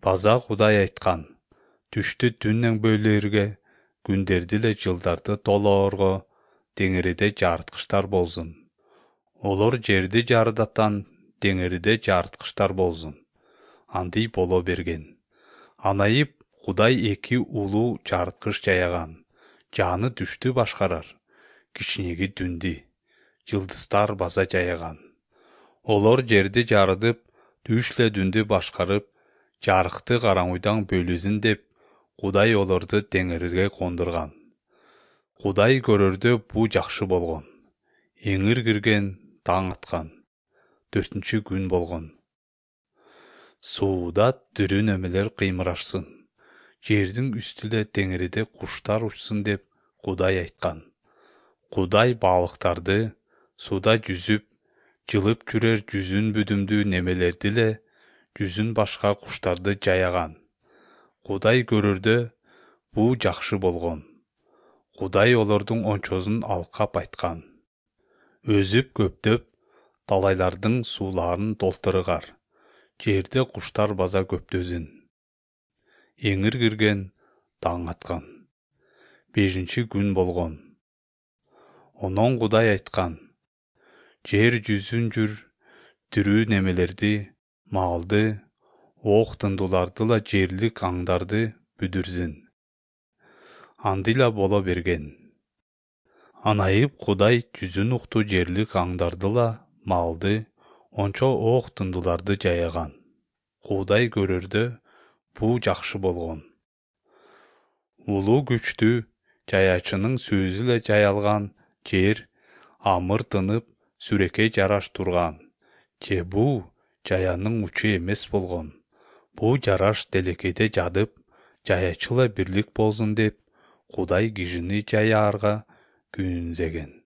База Кудай айткан, түштү түннен бөлөргө, күндерди эле жылдарды толоорго, деңириде жарыткычтар болсун. Олор жерди жарыдаттан, деңириде жарыткычтар болсун. Андый боло берген. Анайып Кудай эки улуу жарыткыч жаяган. Жаны түштү башкарар, кичинеги түндү, жылдыздар база жаяган. Олор жерди жарыдып, түш эле түндү башкарып, жарыкты караңгыдан бөлүсүн деп, Кудай олорду деңирге кондурган. Кудай көрөрдө бу жакшы болгон. Эңир кирген, таң аткан. 4-чү күн болгон. Сууда тирүү немелер кыймырашсын. Жердин үстүндө деңириде куштар учсун деп Кудай айткан. Кудай балыктарды, сууда жүзүп, жылып жүрөр жүзүн бүдүмдүү немелерди эле, жүзүн башка куштарды жаяган. Кудай көрөрдө бу жакшы болгон. Кудай олордун ончосун алкап айткан. Өзүп көптөп, талайлардын сууларын толтургар. Жерде куштар база көптөсүн. Эңир кирген, таң аткан. 5-чи күн болгон. Онон Кудай айткан. Жер жүзүн жүр, тирүү немелерди, малды, ок тындууларды жерлик аңдарды бүдүрсүн. Андыйла боло берген. Анайып Кудай жүзүн укту жерлик аңдарды малды, ончо ок тындууларды жаяган. Кудай көрөрдө бу жакшы болгон. Улуу күчтүү, жаячынын сөзү эле жаялган жер амыр тынып, сүрөккө жараш турган. Же бу жаянын учу эмес болгон. Бу жараш делекеде жадып, жаячыла бирлик болсун деп, Кудай кишини жаярга күнзеген.